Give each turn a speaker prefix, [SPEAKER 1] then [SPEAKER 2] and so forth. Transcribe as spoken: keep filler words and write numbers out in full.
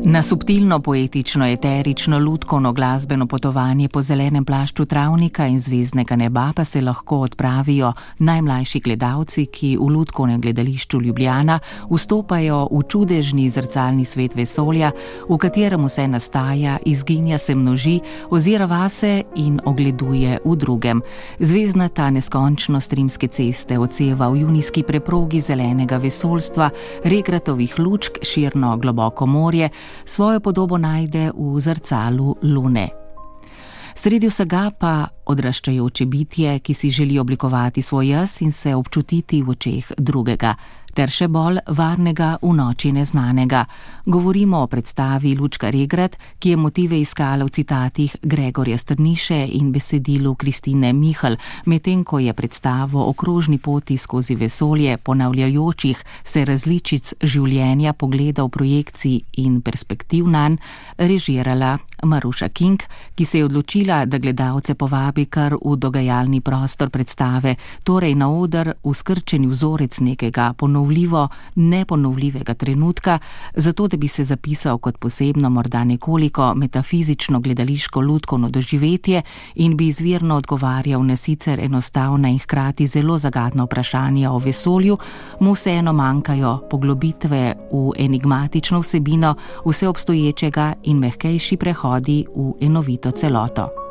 [SPEAKER 1] Na subtilno, poetično, eterično, lutkovno glasbeno potovanje po zelenem plašču travnika in zvezdnega neba pa se lahko odpravijo najmlajši gledalci, ki v lutkovnem gledališču Ljubljana vstopajo v čudežni zrcalni svet vesolja, v katerem vse nastaja, izginja, se množi, ozira vase in ogleduje v drugem. Zvezdnata neskončnost rimske ceste odseva v junijski preprogi zelenega vesoljstva, regratovih lučk, širno globoko morje, svojo podobo najde v zrcalu lune. Sredi vsega pa odraščajoče bitje, ki si želi oblikovati svoj jaz in se občutiti v očeh drugega, ter še bolj varnega v noči neznanega. Govorimo o predstavi Lučka Regrat, ki je motive iskala v citatih Gregorja Strniše in besedilu Kristine Mihelj, medtem ko je predstavo o krožni poti skozi vesolje ponavljajočih se različic življenja, pogledov, projekcij in perspektiv nanj režirala Maruša Kink, ki se je odločila, da gledalce povabi kar v dogajalni prostor predstave, torej na oder v skrčeni vzorec nekega ponovljivo neponovljivega trenutka, zato da bi se zapisal kot posebno, morda nekoliko metafizično gledališko lutkovno doživetje in bi izvirno odgovarjal na sicer enostavna in hkrati zelo zagadna vprašanja o vesolju, mu vseeno manjkajo poglobitve v enigmatično vsebino vseobstoječega in mehkejši prehodi v enovito celoto.